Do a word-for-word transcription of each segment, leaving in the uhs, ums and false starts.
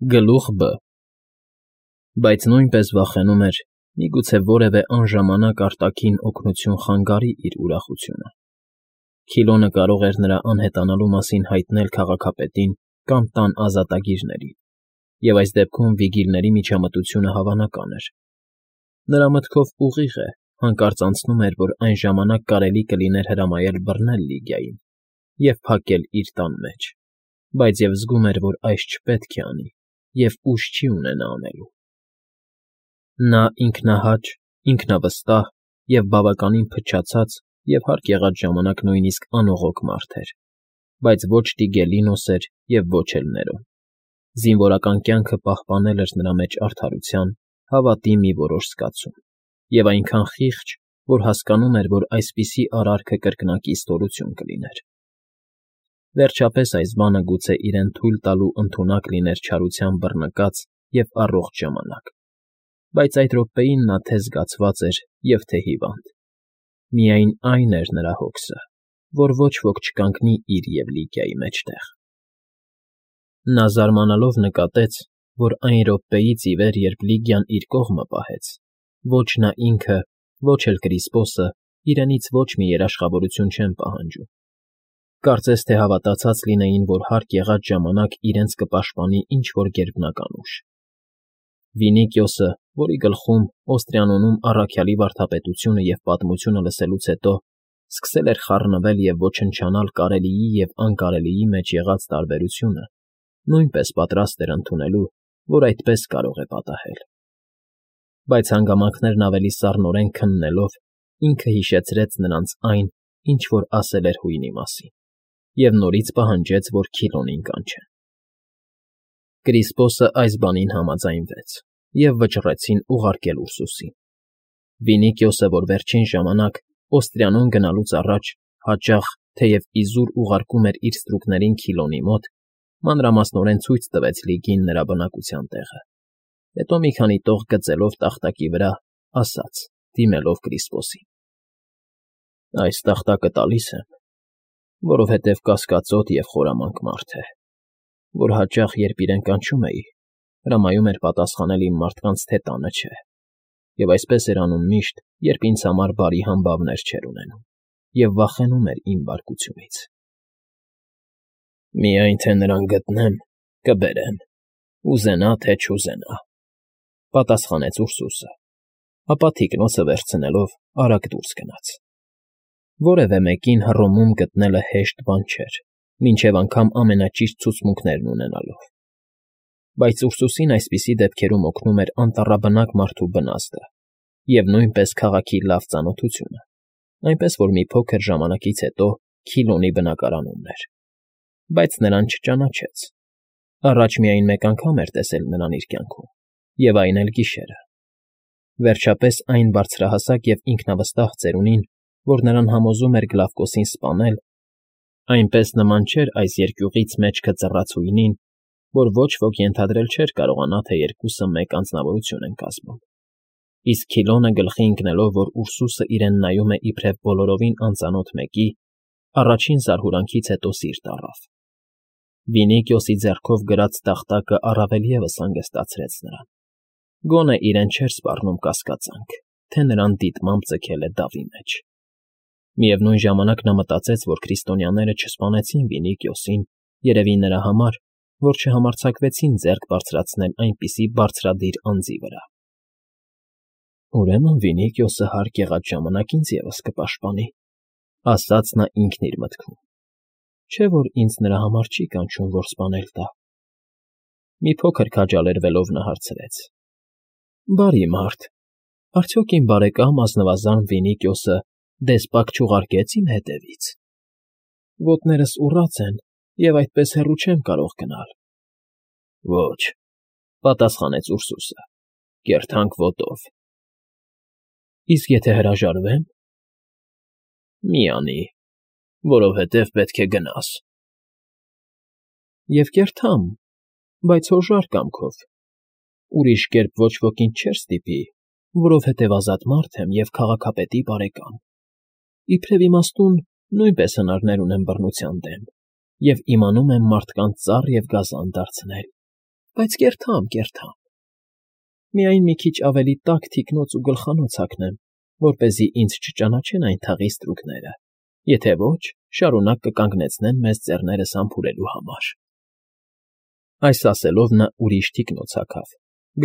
Գլուխ Բ Բայց նույնպես վախենում էր, միգուցե որևէ անժամանակ արտաքին օգնություն խանգարի իր ուրախությունը. Քիլոնը կարող էր նրա անհետանալու մասին հայտնել քաղաքապետին կամ տան ազատագիրներին, և այս դեպքում վիգիլների միջամտությունը հավանական էր. նրա մտքով ուղիղ է, հանկարծ անցնում էր, որ այն ժամանակ կարելի կլիներ հրամայել բռնել Լիգիային և փակել իր տան մեջ, բայց և զգում էր, որ այս չպետք է անի և ուժ չի ունենա անելու։ Նա ինքնահաճ, ինքնավստահ և բավականին փչացած և հարկ եղած ժամանակ նույնիսկ անողոք մարդ էր, բայց ոչ Տիգելինոս էր և ոչ էլ Ներոն. զինվորական կյանքը պահպանել էր նրա մեջ արդարության, հավատի մի որոշ զգացում, և այնքան խիղճ, որ հասկանում էր, որ այսպիսի արարքը կրկնակի ստորություն կլիներ։ Վերջապես այս բանը գուցե իրեն թույլ տալու ընդունակ լիներ չարության բռնկած և առողջ ժամանակ, բայց այդ րոպեին նա թե՛ զգացված էր և թե՛ հիվանդ. միայն այն էր նրա հոգսը, որ ոչ ոք չկանգնի իր և Լիգիայի մեջտեղ։ Նա զարմանալով նկատեց, որ այն րոպեից ի վեր, երբ Լիգիան իր կողմը պահեց, ոչ նա ինքը, ոչ էլ Կրիսպոսը իրենից ոչ մի երաշխավորություն չեն պահանջում, կարծես թե հավատացած լինեին, որ հարկ եղած ժամանակ իրենց կպաշտպանի ինչ֊որ գերբնական ուժ։ Վինիկիոսը, որի գլխում, Օստրիանոնում առաքյալի վարդապետությունը և պատմությունը լսելուց հետո սկսել էր խառնվել և ոչնչանալ կարելիի և անկարելիի մեջ եղած տարբերությունը, նույնպես պատրաստ էր ընդունելու, որ այդպես կարող է պատահել։ Բայց հանգամանքներն ավելի սառնորեն քննելով, ինքը հիշեցրեց նրանց այն, ինչ որ ասել էր հույնի մասին, և նորից պահանջեց, որ Քիլոնին կանչեն։ Կրիսպոսը այս բանին համաձայնվեց, և վճռեցին ուղարկել Ուրսուսին։ Վինիկիոսը, որ վերջին ժամանակ, Օստրիանոն գնալուց առաջ, հաճախ, թեև իզուր ուղարկում էր իր ստրուկներին Քիլոնի մոտ, մանրամասնորեն ցույց տվեց Լիգիին նրա բնակության տեղը, հետո մի քանի տող գծելով տախտակի վրա, ասաց, դիմելով Կրիսպոսին. «Այս տախտակը տալիս եմ, որովհետև կասկածոտ և խորամանկ մարդ է, որ հաճախ, երբ իրեն կանչում էի, հրամայում էր պատասխանել իմ մարդկանց, թե տանը չէ, և այսպես էր անում միշտ, երբ ինձ համար բարի համբավներ չէր ունենում և վախենում էր իմ բարկությունից։ Միայն թե նրան գտնեմ, կբերեմ, ուզենա թե չուզենա», ֊ պատասխանեց Ուրսուսը, ապա թիկնոցը վերցնելով արագ դուրս գնաց։ Որևէ մեկին Հռոմում գտնելը հեշտ բան չէր, մինչև անգամ ամենաճիշտ ցուցմունքներն ունենալով, բայց Ուրսուսին այսպիսի դեպքերում օգնում էր անտառաբնակ մարդու բնազդը և նույնպես քաղաքի լավ ծանոթությունը, այնպես որ մի փոքր ժամանակից հետո Քիլոնի բնակարանումն էր, բայց նրան չճանաչեց. առաջ միայն մեկ անգամ էր տեսել նրան իր կյանքում, և այն էլ գիշերը։ Վերջապես այն բարձրահասակ և ինքնավստահ ծերունին, որ նրան համոզում էր Գլավկոսին սպանել, այնպես նման չէր այս երկյուղից մեջքը ծռած հույնին, որ ոչ ոք ենթադրել չէր կարողանա, թե երկուսը մեկ անձնավորություն են կազմում, իսկ Քիլոնը գլխի ընկնելով, որ Ուրսուսը իրեն նայում է իբրև բոլորովին անծանոթ մեկի, առաջին զարհուրանքից հետո սիրտ առավ։ Վինիկիոսի ձեռքով գրած տախտակը առավել ևս հանգստացրեց նրան. գոնե իրեն չէր սպառնում կասկածանք, թե նրան դիտմամբ ձգել է դավի մեջ։ Միևնույն ժամանակ նա մտածեց, որ քրիստոնյաները չսպանեցին Վինիկիոսին, երևի նրա համար, որ չհամարձակվեցին ձեռք բարձրացնել այնպիսի բարձրադիր անձի վրա։ «Ուրեմն Վինիկիոսը հարկ եղած ժամանակ ինձ ևս կպաշտպանի», ֊ ասաց նա ինքն իր մտքում, չէ՞ որ ինձ նրա համար չի կանչում, որ սպանել տա։ Մի փոքր քաջալերվելով նա հարցրեց. «Բարի մարդ, արդյոք իմ բարեկամ ազնվազան Վինիկիոսը դեսպակ չուղարկեց իմ հետևից։ Ոտներս ուռած են, և այդպես հեռու չեմ կարող գնալ»։ «Ոչ», ֊ պատասխանեց Ուրսուսը, կեռթանկ ոտով։ «Իսկ եթե հրաժարվեմ»։ «Մի անի, որովհետև պետք է գնաս»։ «Եվ կերթամ, բայց հոժար կամքով, ուրիշ կերպ ոչ ոքինչ չէր ստիպի, որովհետև ազատ մարդ եմ և քաղաքապետի բարեկամ, իբրև իմաստուն նույնպես հնարներ ունեմ բռնության դեմ և իմանում եմ մարդկանց ծառ և գազան դարձնել, Բայց կերթամ, կերթամ։ Միայն մի քիչ ավելի տաք թիկնոց ու գլխանոց հագնեմ, որպեսզի ինձ չճանաչեն այն թաղի ստրուկները, եթե ոչ, շարունակ կկանգնեցնեն մեզ ձեռներս համբուրելու համար։ Այս ասելով նա ուրիշ թիկնոց հագավ,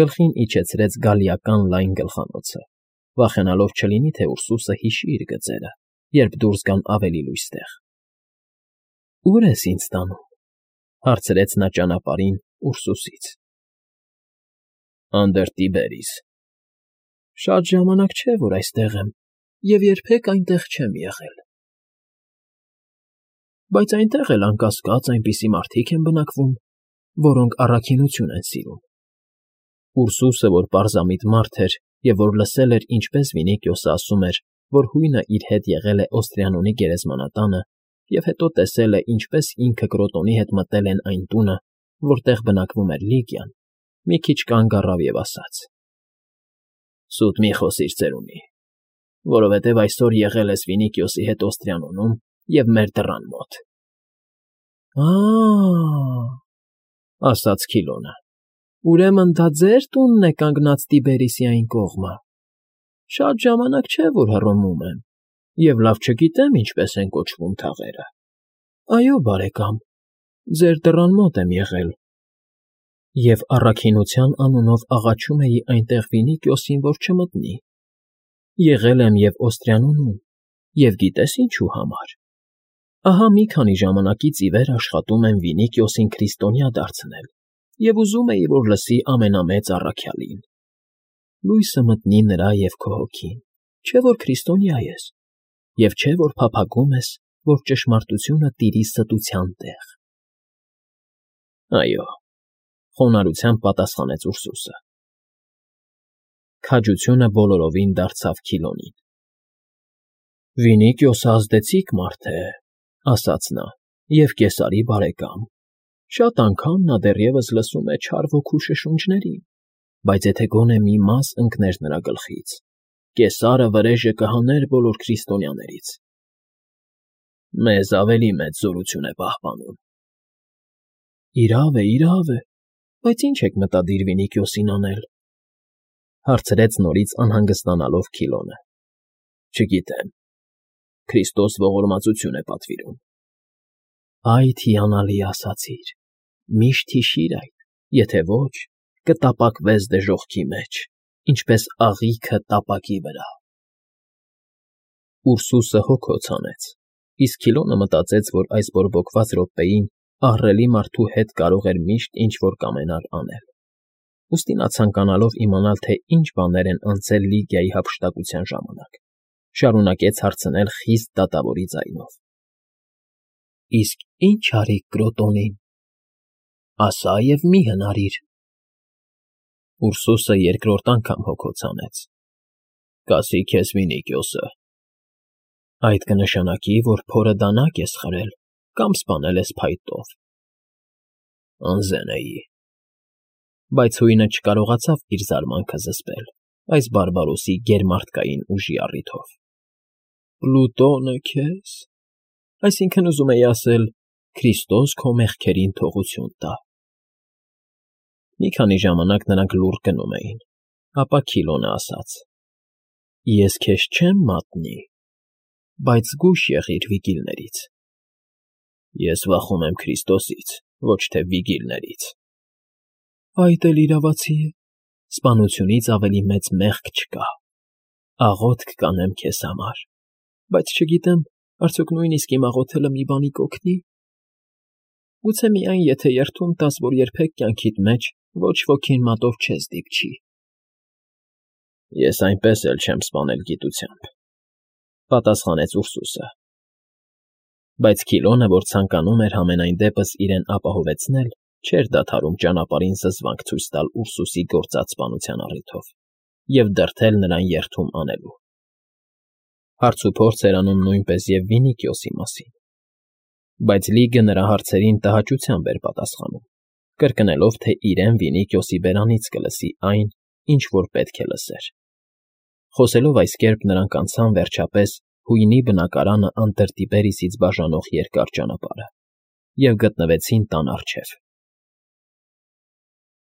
գլխին իջեցրեց գալիական լայն գլխանոցը, վախենալով չլինի, թե Ուրսուսը հիշի իր գծերը, երբ դուրս գան ավելի լույս տեղ։ ֊ Ո՞ւր ես ինձ տանում,֊ հարցրեց նա ճանապարհին Ուրսուսից։ ֊ Անդր Տիբերիս։ ֊ Շատ ժամանակ չէ, որ այստեղ եմ և երբեք այնտեղ չեմ եղել։ ֊ Բայց այնտեղ էլ, անկասկած, այնպիսի մարդիկ են բնակվում, որոնք առաքինություն են սիրում։ Ուրսուսը, որ պարզամիտ մարդ էր և որ լսել էր, ինչպես Վինիքիոսը ասում էր, որ հույնը իր հետ եղել է Օստրիանոնի գերեզմանատանը և հետո տեսել է, ինչպես ինքը Կրոտոնի հետ մտել են այն տունը, որտեղ բնակվում էր Լիգիան, մի քիչ կանգ առավ և ասաց. ֊ Սուտ մի խոսիր, ծերունի, որովհետև այսօր եղել ես Վինիքիոսի հետ Օստրիանոնում և մեր դռան մոտ։ ֊ Ա՜, ֊ ասաց Քիլոնը, ֊ ուրեմն դա ձեր տունն է կանգնած Տիբերիսի այն կողմը։ Շատ ժամանակ չէ, որ հռոմում եմ և լավ չգիտեմ ինչպես են կոչվում թաղերը։ Այո, բարեկամ, ձեր դռան մոտ եմ եղել և առաքինության անունով աղաչում էի այնտեղ Վինիքիոսին, որ չմտնի։ Եղել եմ և Օստրիանոնում, և գիտես ինչու համար։ Ահա մի քանի ժամանակից ի վեր աշխատում եմ Վինիքիոսին քրիստոնյա դարձնել և ուզում էի, որ լսի ամենամեծ առաքյալին։ Լույսը մտնի նրա և քո հոգին, չէ՞ որ քրիստոնյա ես, և չէ՞ որ փափագում ես, որ ճշմարտությունը տիրի ստության տեղ։ ֊ Այո,֊ խոնարհությամբ պատասխանեց Ուրսուսը։ Քաջությունը բոլորովին դարձավ Քիլոնին։ ֊ Վինիքիոսը ազդեցիկ մարդ է,֊ ասաց նա,֊ և Կեսարի բարեկամ։ Շատ անգամ նա դեռևս լսում է չար ոգու շշունջներին, բայց եթե գոնե մի մաս ընկներ նրա գլխից, Կեսարը վրեժը կհաներ բոլոր քրիստոնյաներից։ ֊ Մեզ ավելի մեծ զորություն է պահպանում։ ֊ Իրավ է, իրավ է, բայց ի՞նչ եք մտադիր Վինիքիոսին անել,֊ հարցրեց նորից անհանգստանալով Քիլոնը։ ֊ Չգիտեմ, Քրիստոս ողորմածություն է պատվիրում։ ֊ Այդ հիանալի ասացիր, միշտ հիշիր այդ, եթե ոչ, կտապակվես դժոխքի մեջ, ինչպես աղիքը տապակի վրա։ Ուրսուսը հոգոց հանեց, իսկ Քիլոնը մտածեց, որ այս բորբոքված րոպեին ահռելի մարդու հետ կարող էր միշտ ինչ֊որ կամենալ անել։ Ուստի նա ցանկանալով իմանալ, թե ինչ բաներ են անցել Լիգիայի հափշտակության ժամանակ, շարունակեց հարցնել խիստ դատավորի ձայնով. ֊ Իսկ ի՞նչ արիք Կրոտոնին, ասա և մի հնարիր։ Ուրսուսը երկրորդ անգամ հոգոց հանեց։ ֊ Կասի քեզ Վինիքիոսը։ Այդ կնշանակի, որ փորը դանակ ես խրել կամ սպանել ես փայտով։ ֊ Անզեն էի։ Բայց հույնը չկարողացավ իր զարմանքը զսպել այս բարբարոսի գերմարդկային ուժի առիթով։ ֊ Պլուտոնը քեզ… Այսինքն, ուզում էի ասել, Քրիստոս քո մեղքերին թողություն տա։ Մի քանի ժամանակ նրանք լուռ գնում էին, ապա Քիլոնը ասաց. ֊ Ես քեզ չեմ մատնի, բայց զգույշ եղիր վիգիլներից։ ֊ Ես վախում եմ Քրիստոսից, ոչ թե վիգիլներից։ ֊ Այդ էլ իրավացի է, սպանությունից ավելի մեծ մեղք չկա։ Աղոթք կանեմ քեզ համար, բայց չգիտեմ, արդյոք նույնիսկ իմ աղոթելը մի բանի կօգնի։ Գուցե միայն, եթե երդում տաս, որ երբեք կյանքիդ մեջ ոչ ոքին մատով չես դիպչի։ ֊ Ես այնպես էլ չեմ սպանել գիտությամբ,֊ պատասխանեց Ուրսուսը։ Բայց Քիլոնը, որ ցանկանում էր համենայն դեպս իրեն ապահովեցնել, չէր դադարում ճանապարհին զզվանք ցույց տալ Ուրսուսի գործած սպանության առիթով և դրդել նրան երդում անելու։ Հարցուփորձ էր անում նույնպես և Վինիքիոսի մասին։ Բայց Լիգը նրա հարցերին տհաճությամբ էր պատասխանում, կրկնելով, թե իրեն Վինիքիոսի բերանից կլսի այն, ինչ որ պետք է լսեր։ Խոսելով այս կերպ նրանք անցան, վերջապես, հույնի բնակարանը անտր Տիբերիսից բաժանող երկար ճանապարհը և գտնվեցին տան առջև։